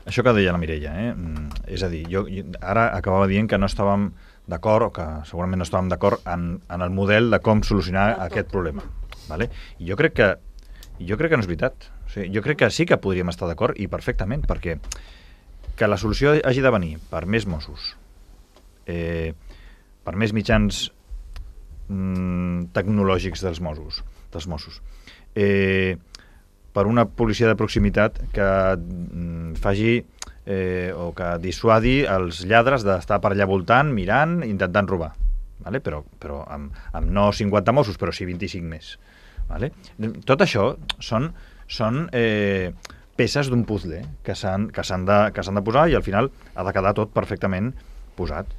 això que deia la Mireia, eh? Mm, és a dir, jo, jo ara acabava dient que no estàvem d'acord, o que segurament no estàvem d'acord en, en el model de com solucionar aquest problema. Vale? I jo crec que Jo crec que no és veritat. O sigui, jo crec que sí que podríem estar d'acord i perfectament, perquè que la solució hagi de venir per més Mossos, eh, per més mitjans mm, tecnològics dels Mossos, dels Mossos eh, per una policia de proximitat que mm, faci eh, o que dissuadi els lladres d'estar per allà voltant, mirant, intentant robar. Vale? Però, però amb, amb no cinquanta Mossos, però sí vint-i-cinc més. Vale? Tot això són, són eh, peces d'un puzzle que s'han que s'han de, que s'han de posar i al final ha de quedar tot perfectament posat.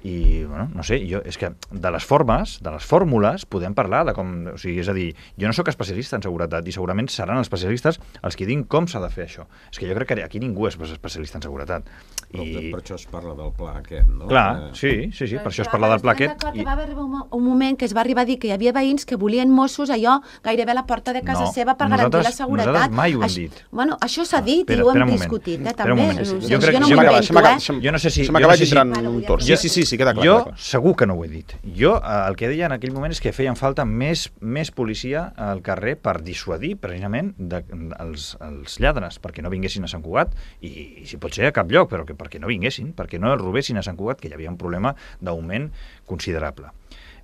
I, bueno, no sé, jo, és que de les formes, de les fórmules, podem parlar de com... O sigui, és a dir, jo no sóc especialista en seguretat i segurament seran els especialistes els que diguin com s'ha de fer això. És que jo crec que aquí ningú és especialista en seguretat. I... Per, per això es parla del pla aquest, no? Clar, sí, sí, sí, per això es parla del pla aquest. I... Va arribar un, un moment que es va arribar a dir que hi havia veïns que volien Mossos allò gairebé a la porta de casa no, seva per garantir la seguretat. Nosaltres mai ho hem Això, dit. Bueno, això s'ha dit espera, i ho hem espera discutit, eh, també. Jo, crec, jo no m'ho invento, eh? Jo no sé si... Se m'acaba no sé entrant si... un tors. Sí, sí, sí, sí, queda clar. Jo clar. segur que no ho he dit. Jo el que deia en aquell moment és que feien falta més, més policia al carrer per dissuadir precisament de, els, els lladres, perquè no vinguessin a Sant Cugat i, i si pot ser a cap lloc, però que, perquè no vinguessin, perquè no robessin a Sant Cugat, que hi havia un problema d'augment considerable.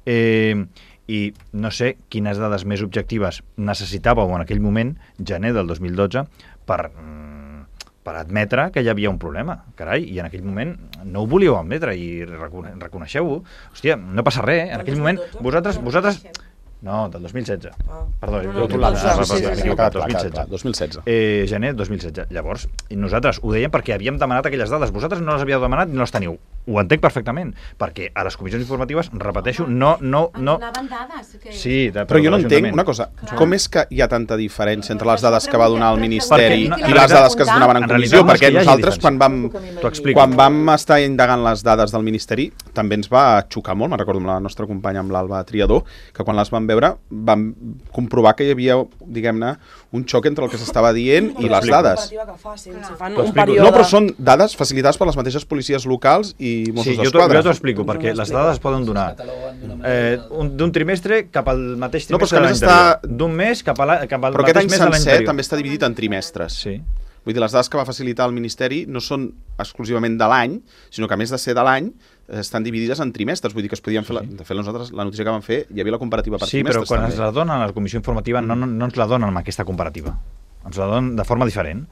Eh, I no sé quines dades més objectives necessitàveu en aquell moment, gener del dos mil dotze, per... per admetre que hi havia un problema, carai, i en aquell moment no ho volíeu admetre i reconeixeu-ho. Hòstia, no passa res, eh? En aquell moment vosaltres... vosaltres... No, del dos mil setze. Ah. Perdó, no, no, no, dos mil setze. Eh, gener dos mil setze. Llavors, nosaltres ho dèiem perquè havíem demanat aquelles dades. Vosaltres no les havíeu demanat ni no les teniu. Ho entenc perfectament, perquè a les comissions informatives, repeteixo, no... no, no... Donaven dades. Que... Sí, de, però jo no entenc una cosa. Clar. Com és que hi ha tanta diferència entre les dades que va donar el Ministeri no, i les dades que es donaven en comissió? Perquè nosaltres, quan vam, quan vam estar indagant les dades del Ministeri, també ens va xocar molt, me'n recordo amb la nostra companya, amb l'Alba Triador, que quan les vam veure vam comprovar que hi havia, diguem-ne, un xoc entre el que s'estava dient i les dades. No, però són dades facilitades per les mateixes policies locals i Mossos d'Esquadra. Sí, jo t'ho explico, perquè les dades es poden donar eh, d'un trimestre cap al mateix trimestre no, de l'anterior. D'un mes cap, a la, cap al però mateix mes de l'any anterior. Però aquest any sencer també està dividit en trimestres. Sí. Vull dir, les dades que va facilitar el Ministeri no són exclusivament de l'any, sinó que a més de ser de l'any, estan dividides en trimestres. Vull dir que es podien fer... La, de fet, nosaltres, la notícia que vam fer, hi havia la comparativa per sí, trimestres. Sí, però quan també. ens la donen a la comissió informativa no, no, no ens la donen amb aquesta comparativa. Ens la donen de forma diferent.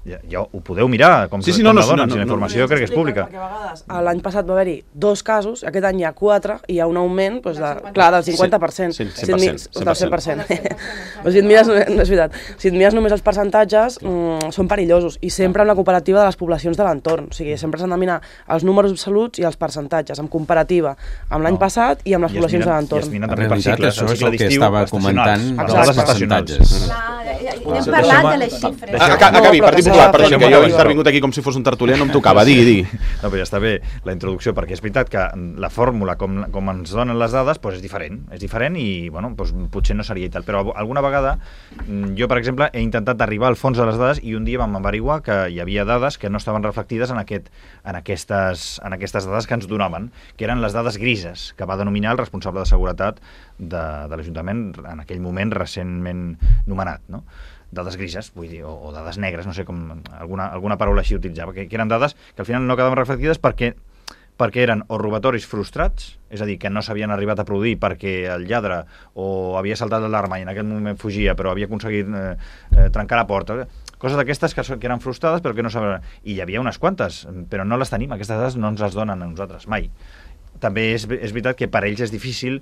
Ja, ja ho podeu mirar, com, sí, sí, com no, la no, donen, no, si la informació no, no, crec que és pública. Perquè a vegades l'any passat va haver-hi dos casos, aquest any hi ha quatre, i hi ha un augment doncs, de, clar, del cinquanta per cent. Sí, cent per cent. Del cent per cent. Si et mires, no és veritat, si et mires només els percentatges, mmm, són perillosos, i sempre amb la comparativa de les poblacions de l'entorn. O sigui, sempre s'han de mirar els números absoluts i els percentatges, en comparativa amb l'any no. passat i amb les I poblacions miren, de l'entorn. I es miren també per cicles, això és el que estava comentant dels percentatges. Hem parlat de les xifres. Acabi, Partit s'ha clar, de perdoni, fer que jo he normativa. intervingut aquí com si fos un tertulià, no em tocava, digui, digui. No, però ja està bé la introducció, perquè és veritat que la fórmula, com, com ens donen les dades, doncs és diferent, és diferent i, bueno, doncs potser no seria i tal, però alguna vegada jo, per exemple, he intentat arribar al fons de les dades i un dia vam averiguar que hi havia dades que no estaven reflectides en, aquest, en, aquestes, en aquestes dades que ens donaven, que eren les dades grises, que va denominar el responsable de seguretat de, de l'Ajuntament en aquell moment recentment nomenat, no? Dades grises, vull dir, o, o dades negres, no sé com, alguna, alguna paraula així utilitzava, que, que eren dades que al final no quedaven reflectides perquè perquè eren o robatoris frustrats, és a dir, que no s'havien arribat a produir perquè el lladre o havia saltat l'alarma i en aquell moment fugia, però havia aconseguit eh, eh, trencar la porta, coses d'aquestes que, que eren frustrades però que no s'havien... I hi havia unes quantes, però no les tenim, aquestes dades no ens les donen a nosaltres, mai. També és, és veritat que per ells és difícil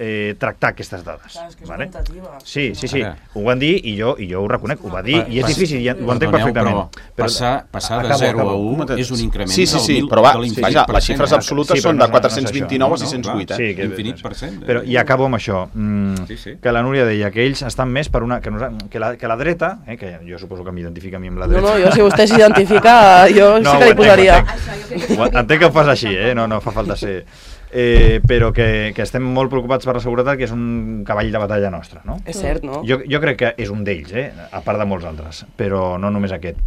eh, tractar aquestes dades. Clar, és que és vale? orientativa. Sí, sí, sí, Ara. ho van dir i jo, i jo ho reconec, ho va dir i és Pas- difícil, i ho entenc Perdoneu, perfectament. Però passar, passar de Acabo, zero a acabo. u és un increment Sí, sí, sí, del mil, però va, de l'infinit vaja, per les cent, xifres eh? absolutes Sí, però són no de és- no és quatre-cents vint-i-nou a això. sis-cents vuit, No, eh? Sí, que- Infinit per cent. Però i acabo amb això, mm, Sí, sí. que la Núria deia que ells estan més per una... que, nosa- que, la, que la dreta, eh, que jo suposo que m'identifica a mi amb la No, dreta... no, jo si vostè s'identifica, jo sí que li ho entenc, posaria. ho entenc. Ho entenc que ho fas així, eh? no, no fa falta ser... Eh, però que, que estem molt preocupats per la seguretat, que és un cavall de batalla nostre, no? És cert, no? Jo, jo crec que és un d'ells, eh? A part de molts altres, però no només aquest.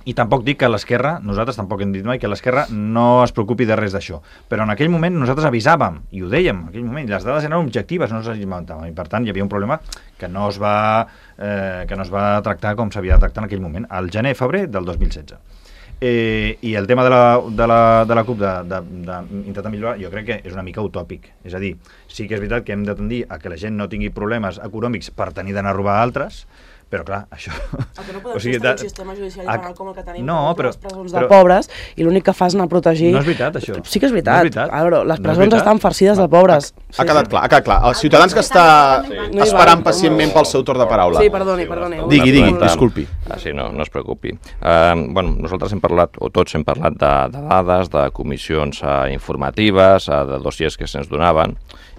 I tampoc dic que l'esquerra, nosaltres tampoc hem dit mai que l'esquerra no es preocupi de res d'això. Però en aquell moment nosaltres avisàvem, i ho dèiem en aquell moment, les dades eren objectives, no les inventàvem, i per tant hi havia un problema que no es va, eh, que no es va tractar com s'havia de tractar en aquell moment, al gener-febrer del dos mil setze. Eh, I el tema de la, de la, de la CUP d'intentar millorar, jo crec que és una mica utòpic. És a dir, sí que és veritat que hem de tendir a que la gent no tingui problemes econòmics per tenir d'anar a robar a altres, però clar, això... El que no podem o sigui, fer és tenir de- un sistema judicial a- penal com el que tenim no, per però- les presons però- de pobres, i l'únic que fa és anar a protegir... No és veritat, això. Sí que és No veritat. és veritat. A veure, les No és presons veritat. estan farcides de pobres. Ha quedat clar, ha quedat clar. Els ciutadans que està No hi esperant va. pacientment pel seu torn de paraula. Sí, perdoni, perdoni. Digui, digui, Escoltant. disculpi. Ah, sí, no, no es preocupi. Uh, bueno, nosaltres hem parlat, o tots hem parlat de, de dades, de comissions uh, informatives, uh, de dossiers que se'ns donaven,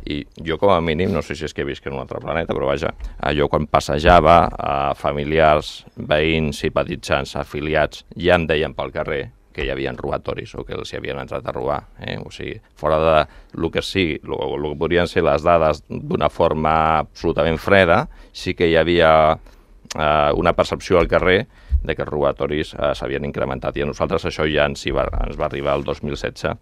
i jo com a mínim, no sé si és que he vist que en un altre planeta, però vaja, uh, jo quan passejava a uh, familiars, veïns, simpatitzants, afiliats, ja em deien pel carrer que hi havia robatoris o que els hi havien entrat a robar. Eh? O sigui, fora de lo que sí, lo, lo que podrien ser les dades d'una forma absolutament freda, sí que hi havia eh, una percepció al carrer de que els robatoris eh, s'havien incrementat, i a nosaltres això ja ens, hi va, ens va arribar el dos mil setze,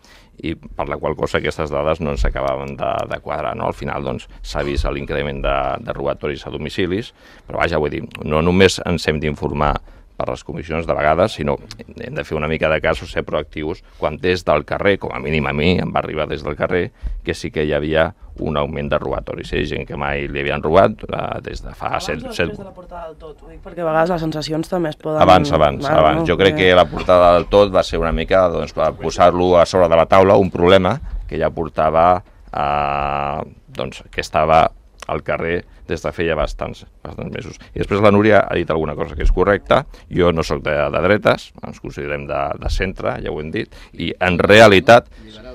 i per la qual cosa aquestes dades no ens acabaven de, de quadrar. No? Al final doncs, s'ha vist l'increment de, de robatoris a domicilis, però vaja, vull dir, no només ens hem d'informar per les comissions de vegades, sinó hem de fer una mica de cas o ser proactius quan des del carrer, com a mínim a mi, em va arribar des del carrer, que sí que hi havia un augment de robatoris. Hi ha gent que mai li havien robat eh, des de fa Abans set... o set... després de la portada del tot? Ho dic perquè a vegades les sensacions també es poden... Abans, abans, Clar, abans. no? Jo crec que la portada del tot va ser una mica doncs, per posar-lo a sobre de la taula, un problema que ja portava, eh, doncs, que estava al carrer des de feia bastants, bastants mesos. I després la Núria ha dit alguna cosa que és correcta. Jo no sóc de, de dretes, ens considerem de, de centre, ja ho hem dit, i en realitat...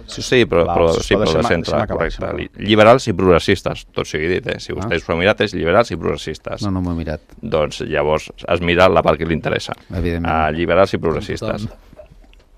Sí, sí, però, Va, però, sisplau, sí, però de deixa'm- centre, deixa'm acabar, correcte. deixa'm Li- Liberals i progressistes, tot sigui dit, eh? Si vostè s'ho ha mirat, és liberals i progressistes. No, no m'ho he mirat. Doncs llavors es mira la part que li interessa. Evidentment. Uh, liberals i progressistes.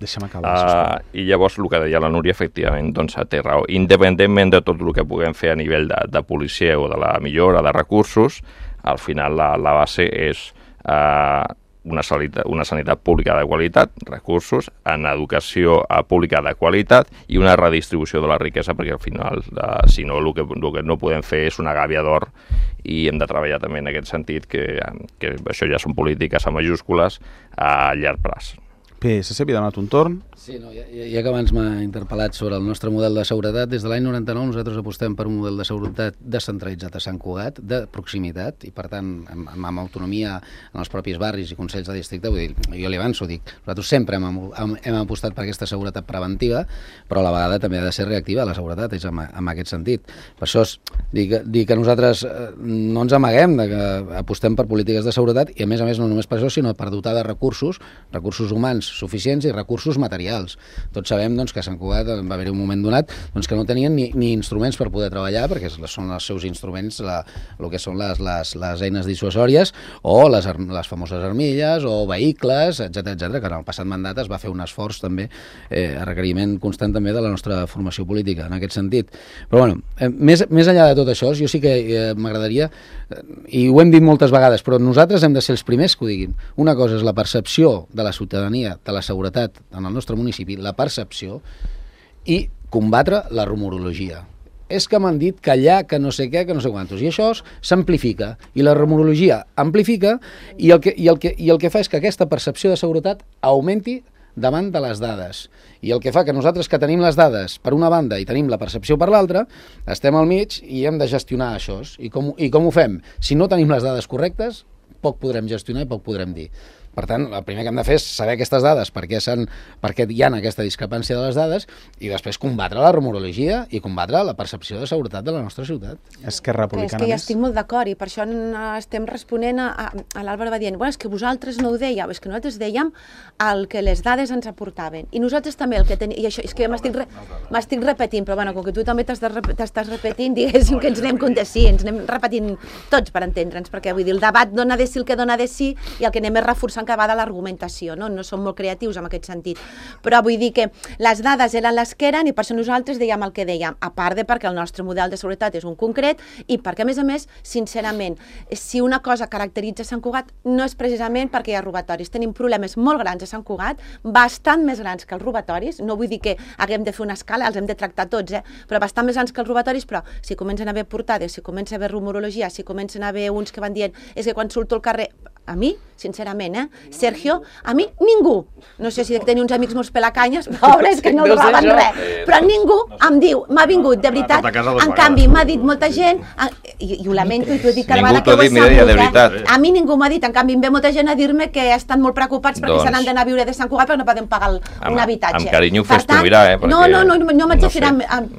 Deixa'm acabar, sisplau. Uh, I llavors el que deia la Núria, efectivament, doncs té raó. Independentment de tot el que puguem fer a nivell de, de policia o de la millora de recursos, al final la, la base és uh, una, sanitat, una sanitat pública de qualitat, recursos, en educació uh, pública de qualitat i una redistribució de la riquesa, perquè al final, uh, si no, el que, el que no podem fer és una gàbia d'or, i hem de treballar també en aquest sentit, que, que això ja són polítiques a majúscules a llarg plaç. P S C havia demanat un torn. Sí, no, ja, ja que abans m'ha interpel·lat sobre el nostre model de seguretat, des de l'any noranta-nou nosaltres apostem per un model de seguretat descentralitzat a Sant Cugat, de proximitat, i per tant amb, amb autonomia en els propis barris i consells de districte. Vull dir, jo li avanço, dic, nosaltres sempre hem, hem, hem apostat per aquesta seguretat preventiva, però a la vegada també ha de ser reactiva, la seguretat, és en, en aquest sentit. Per això és, dic, dic que nosaltres no ens amaguem de que apostem per polítiques de seguretat, i a més a més no només per això, sinó per dotar de recursos, recursos humans, suficients i recursos materials. Tots sabem doncs, que a Sant Cugat va haver un moment donat doncs, que no tenien ni, ni instruments per poder treballar, perquè són els seus instruments, la, el que són les, les, les eines dissuasòries o les, les famoses armilles o vehicles, etcètera, etcètera, que en el passat mandat es va fer un esforç també eh, a requeriment constant també de la nostra formació política en aquest sentit. Però bueno, eh, més, més enllà de tot això, jo sí que eh, m'agradaria, eh, i ho hem dit moltes vegades, però nosaltres hem de ser els primers que ho diguin. Una cosa és la percepció de la ciutadania, de la seguretat en el nostre municipi, la percepció, i combatre la rumorologia. És que m'han dit que allà, que no sé què, que no sé quantos. I això s'amplifica, i la rumorologia amplifica, i el, que, i, el que, i el que fa és que aquesta percepció de seguretat augmenti davant de les dades. I el que fa que nosaltres que tenim les dades per una banda i tenim la percepció per l'altra, estem al mig i hem de gestionar això. I com, i com ho fem? Si no tenim les dades correctes, poc podrem gestionar i poc podrem dir. Per tant, el primer que hem de fer és saber aquestes dades, per què, per què hi ha aquesta discrepància de les dades, i després combatre la rumorologia i combatre la percepció de seguretat de la nostra ciutat. Esquerra Republicana. És que ja estic molt d'acord, i per això estem responent a, a, a l'Àlvaro va dient, bueno, és que vosaltres no ho dèieu, és que nosaltres dèiem el que les dades ens aportaven, i nosaltres també el que tenim, i això és que m'estic re, m'estic repetint, però bueno, com que tu també t'estàs repetint, diguéssim que ens anem com de sí, ens anem repetint tots per entendre'ns, perquè vull dir, el debat dona de sí el que dona de sí, i el que anem és reforçant que va de l'argumentació, no? No som molt creatius en aquest sentit, però vull dir que les dades eren les que eren i per això nosaltres dèiem el que dèiem, a part de perquè el nostre model de seguretat és un concret i perquè a més a més, sincerament, si una cosa caracteritza Sant Cugat no és precisament perquè hi ha robatoris, tenim problemes molt grans a Sant Cugat, bastant més grans que els robatoris, no vull dir que haguem de fer una escala, els hem de tractar tots, eh? Però bastant més grans que els robatoris, però si comencen a haver portades, si comença a haver rumorologia, si comencen a haver uns que van dient és que quan surto al carrer, a mi, sincerament, eh? Sergio, a mi ningú, no sé si tenia uns amics molts pelacanyes, pobres que no robaven res, però ningú em diu, m'ha vingut, de veritat, en canvi m'ha dit molta gent, i, i ho lamento, i t'ho he dit cada vegada que ho he sabut, eh? A mi ningú m'ha dit, en canvi em ve molta gent a dir-me que estan molt preocupats perquè se n'han d'anar a viure de Sant Cugat perquè no poden pagar un habitatge. Amb carinyo ho fes tu mirar, eh? No, no, no, no m'haig de fer,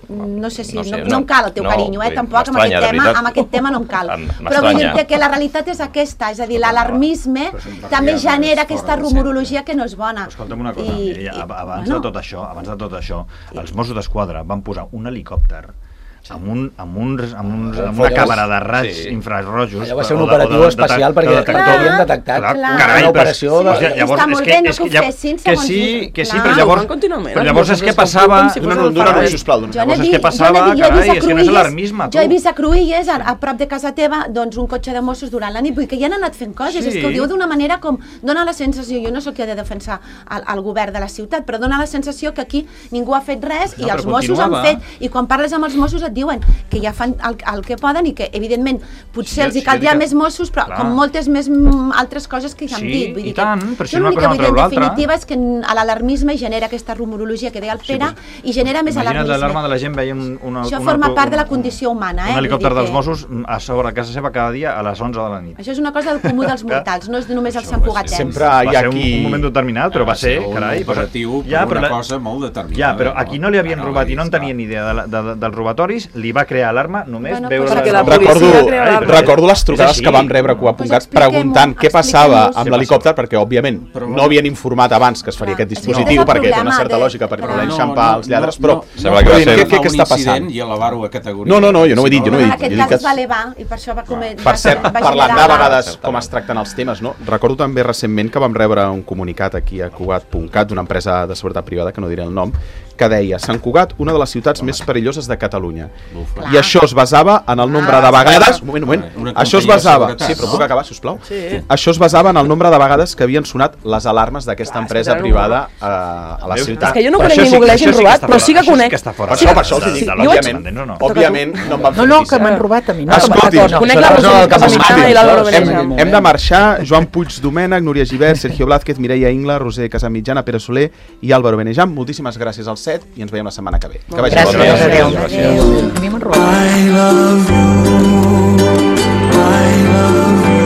no sé si, no em cal el teu carinyo, eh? Tampoc amb aquest tema, amb aquest tema no em cal. Però vull dir que la realitat és aquesta, és a dir, l'alarmisme també genera aquesta rumorologia que no és bona. Escolta'm una cosa, I, abans, bueno. de tot això, abans de tot això, els Mossos d'Esquadra van posar un helicòpter amb, un, amb, uns, amb, uns, amb una càmera de raigs sí. infrarrojos. Allò va ser un operatiu de, de, especial de, perquè no havien detectat clar, carai, una operació de... Llavors, està molt bé, no que ho fessin, que sí, que sí, però llavors, però llavors és que passava... Dóna-ho, sisplau. Llavors és que passava, carai, és que no és alarmisme. Jo he vist a Cruïlles, a prop de casa teva, doncs un cotxe de Mossos durant la nit, vull que ja han anat fent coses, és que ho diu d'una manera com... Dóna la sensació, jo no sóc qui ha de defensar el govern de la ciutat, però dóna la sensació que aquí ningú ha fet res i els Mossos han fet, i quan parles amb els Mossos et diuen que ja fan el, el que poden i que, evidentment, potser sí, els hi caldria sí, més Mossos, però clar. Com moltes més altres coses que ja hem sí, dit. Vull dir i tant, que, però si una cosa no treu l'altra. En definitiva és que l'alarmisme genera aquesta rumorologia que deia el Pere sí, pues, i genera més alarmisme. Imagina't l'alarma de la gent veia un, una, això una, forma una, part de la condició humana. Eh? Un helicòpter dels Mossos a sobre casa seva cada dia a les onze de la nit. Això és una cosa del comú dels mortals, no és només els santcugatens. Sempre hi ha qui... un moment determinat, però va ser, carai... un operatiu per una cosa molt determinada. Ja, però a qui no li havien robat i no en tenien ni idea dels robatoris, li va crear alarma només veure... Recordo, recordo les trucades que vam rebre a Cugat punt cat preguntant què passava amb l'helicòpter, perquè òbviament no havien informat abans que es faria aquest dispositiu, perquè té una certa lògica per voler enxampar els lladres, però què està passant? No, no, no, jo no ho he dit, jo no ho he dit. Aquest cas es va elevar i per això va comer... Per cert, parlant de vegades com es tracten els temes, no? Recordo també recentment que vam rebre un comunicat aquí a Cugat punt cat d'una empresa de seguretat privada, que no diré el nom, que deia Sant Cugat, una de les ciutats més perilloses de Catalunya. I això es basava en el nombre de vegades... Un moment, un moment. Això es basava... Sí, però puc acabar, sisplau? Això es basava en el nombre de vegades que havien sonat les alarmes d'aquesta empresa privada a la ciutat. És que jo no conec ningú que l'hagin robat, però sí que conec. Per això, per això els dic, òbviament, òbviament no em van fer No, no, que m'han robat a mi. Escolti'm, conec la Rosa Casamitjana i l'Àlvaro Benejam. Hem de marxar. Joan Puig Domènec, Núria Givert, Sergio Blázquez, Mireia Ingla, Roser Casamitjana, Pere Soler i Álvaro Benejam. Moltíssimes gràcies als set i ens veiem la setmana que ve. Que vagi gràcies. Gràcies. Adéu. Adéu. A mi m'han robat. I love you. I love you.